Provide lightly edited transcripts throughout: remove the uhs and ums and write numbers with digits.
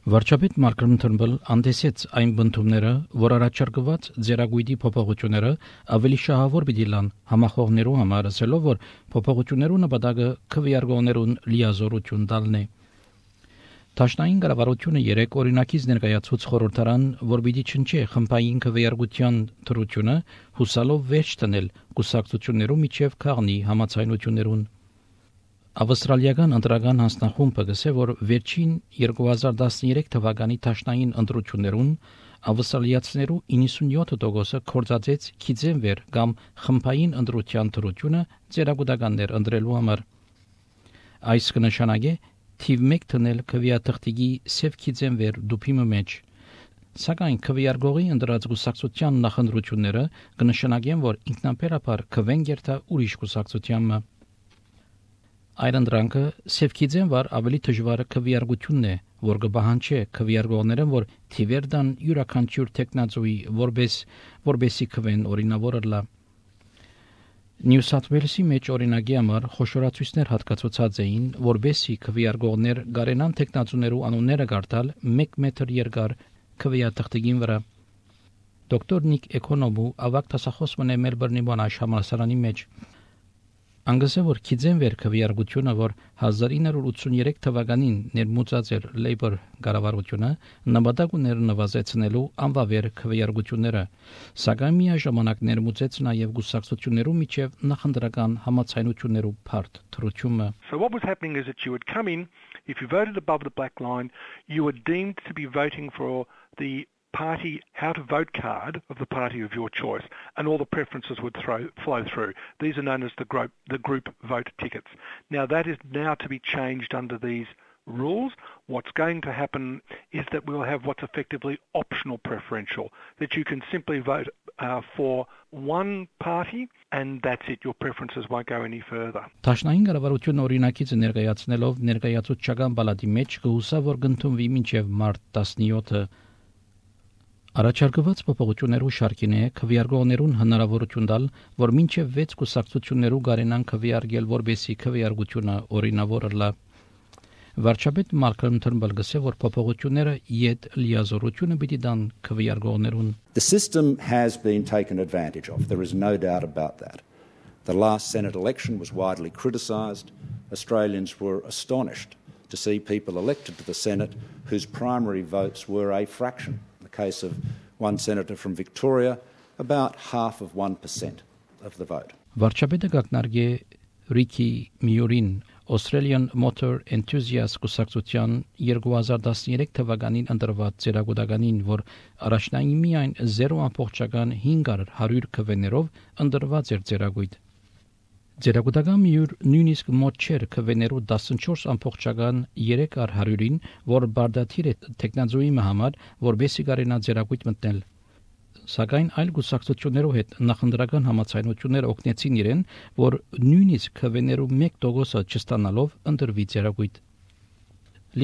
Վարչապետ Մարկրոն Թըրմբլ անդեսեց այն բնդումները, որ առաջարկված ձեռագույտի փոփոխությունները ավելի շահավոր պիտի լան համախոհներու համար, ասելով, որ փոփոխություններու նպատակը քվեարկողներուն լիազորություն տալն է։ Տաշնային կառավարությունը 3 օրինակից ներկայացուց խորհրդարան, որ պիտի չնչի խմբային քվեարկության թրությունը, հուսալով վերջ տնել կուսակցություններու միջև քաղնի համացայնություններուն։ Ավստրալիական ընտրական հանձնախումբը գսե, որ վերջին 2013 թվականի տաշնային ընտրություններուն ավստրալիացիներու 97%-ը կորցածեց քիզենվեր կամ խմբային ընտրության թրությունը ծերագուտականներ ընտրելու համար։ Այս կնշանակե թիվ 1 տնել քվեաթղթիկի սև քիզենվեր դուփի մեջ։ Սակայն քվեարկողի ընտրած կուսակցության նախընտրությունները կնշանակեն, որ ինքնաբերաբար քվեն գերտա ուրիշ կուսակցությանը։ Այդ ընտրանքը սևքիձեն վար ավելի դժվար քվեարկությունն է, որ կբահանջի քվեարկողներն, որ թիվերդան յուրաքանչյուր տեխնազոյի որբեսի քվեն օրինավորելա։ Նյու Սաթ Ուելսի մեջ օրինակի համար խոշորացույցներ հատկացված էին, որբեսի քվեարկողներ գարենան տեխնազոներու անունները գարտալ 1 մետր երկար քվեաթղթիկին վրա։ Դոկտոր Նիկ Էկոնոմու ավակ դասախոս մնե Մելբուրնի Մոնաշ համալսարանի մեջ Անգսե որ քիզենվեր քվեարկությունը, որ 1983 թվականին ներմուծած էր Լեյբոր կառավարությունը, նպատակ ուներ նվազեցնելու անվավեր քվեարկությունները, սակայն միաժամանակ ներմուծեց նաև գուսակցություններու միջև նախընտրական համացայնություններու բարդ թրությունը. So what was happening is that you would come in, if you voted above the black line, you were deemed to be voting for the party how to vote card of the party of your choice, and all the preferences would flow through. These are known as the group vote tickets. Now that is now to be changed under these rules. What's going to happen is that we'll have what's effectively optional preferential, that you can simply vote for one party and that's it. Your preferences won't go any further. Տաշնային կառավարությունը օրինակից ներկայացնելով ներկայացուցչական բալատի մեջ կհուսա, որ կընդունվի մինչև մարտ 17-ը Առաջարկված փոփոխություններու շարքին է քվեարկողներուն հնարավորություն տալ, որ մինչև 6 կուսակցություններու գարենան քվեարկել, որբեսի քվեարկությունը օրինավորելա։ Վարչապետ Մարկրոն Թըրմբլ գսե, որ փոփոխությունները իդ լիազորությունը պիտի տան քվեարկողներուն։ The system has been taken advantage of. There is no doubt about that. The last Senate election was widely criticised. Australians were astonished to see people elected to the Senate whose primary votes were a fraction. Case of one senator from Victoria, about half of 1% of the vote. Վարչապետը գակնարկե Ռիքի Միորին Australian Motor Enthusiast կուսակցության 2013 թվականին ընտրված ծերագուտականին, որ առաջնային միայն 0.5 քվեներով ընտրված էր ծերագույտ։ Ձերագուտական միուր նույնիսկ մոտ չէր քվեներու 14.3%-ին, որ բարդաթիր է տեխնազոյի համար, որբեսի կարենա ձերագույտ մտնել։ Սակայն այլ գուսակցություններով հետ նախընտրական համացայնություններ օգնեցին իրեն, որ նույնիսկ քվեներու 1%-ը չստանալով ընտրվի ձերագույտ։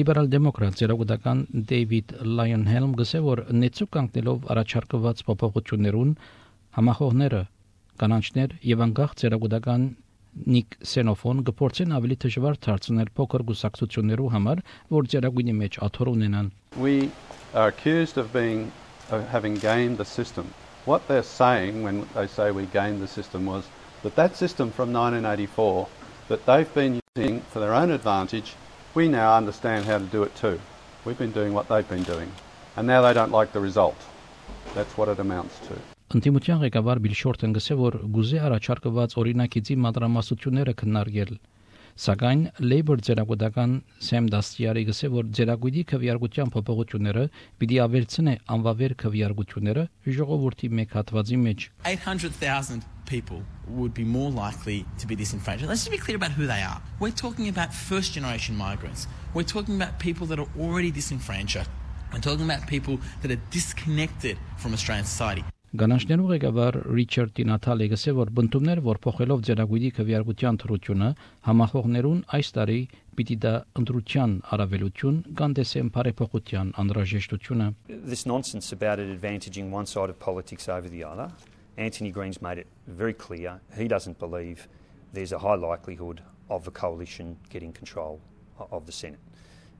Լիբերալ դեմոկրատ ձերագուտական Դեյվիդ Լայոնհելմ գսե, որ նեցուկ կանգնելով առաջարկված փոփոխություններուն համախոհները կանանչներ եւ անկախ ձերագուտական Նիկ Սենոֆոն գործեն ավելի դժվար դարձնել փոքր գուսակցություններու համար, որ ձերագույնի մեջ աթոռ ունենան։ We are accused of having gamed the system. What they're saying when they say we gamed the system was that system from 1984 that they've been using for their own advantage, we now understand how to do it too. We've been doing what they've been doing, and now they don't like the result. That's what it amounts to. Ընտիմության ղեկավար Բիլ Շորթն գսե, որ գուզե առաջարկված օրինակիցի մադրամասությունները քննարկել, սակայն Labour ձերագուտական Սեմ Դաստիարի գսե, որ ձերագույտի քվեարկության փոփոխությունները պիտի ավելցնե անվավեր քվեարկությունները ժողովրդի մեկ հատվածի մեջ։ 800,000 people would be more likely to be disenfranchised. Let's just be clear about who they are. We're talking about first generation migrants. We're talking about people that are already disenfranchised. We're talking about people that are disconnected from Australian society. Գանաշներու ղեկավար Ռիչարդ Տինաթալը գսե, որ բնդումներ, որ փոխելով ձերագույտի քվեարկության թրությունը համախոհներուն այս տարի պիտի դա ընտրության առավելություն կանդեսեն բարեփոխության անհրաժեշտությունը. This nonsense about it advantaging one side of politics over the other. Anthony Green's made it very clear he doesn't believe there's a high likelihood of the coalition getting control of the Senate.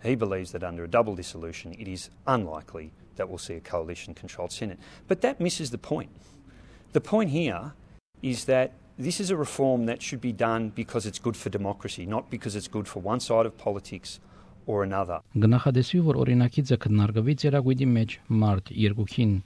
He believes that under a double dissolution, it is unlikely that we'll see a coalition-controlled Senate. But that misses the point. The point here is that this is a reform that should be done because it's good for democracy, not because it's good for one side of politics or another. Գնահատեսի որ օրինակիցը քննարկվի ծերագույդի մեջ մարտ 2-ին